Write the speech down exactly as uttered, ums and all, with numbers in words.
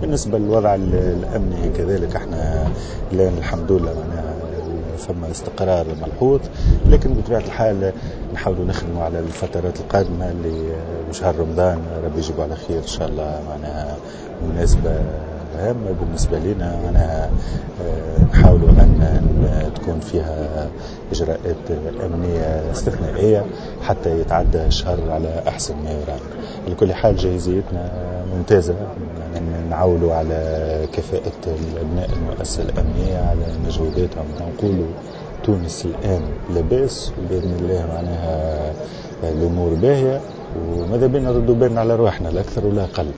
بالنسبة للوضع الأمني كذلك احنا الآن الحمد لله معناها فما استقرار ملحوظ، لكن بطبيعة الحال نحاولوا نخدموا على الفترات القادمة اللي شهر رمضان ربي يجيبه على خير إن شاء الله، معناها مناسبة هامة بالنسبة لنا، معناها نحاولوا أن تكون فيها إجراءات أمنية استثنائية حتى يتعدى الشهر على أحسن ما يرام. على كل حال جاهزيتنا ممتازة، يعني نعولوا على كفاءة الأبناء المؤسسة الأمنية على مجهوداتهم. نقولوا تونس الآن لاباس وبإذن الله معناها الأمور باهية، وماذا بينا نردوا بالنا على رواحنا لا أكثر ولا أقل.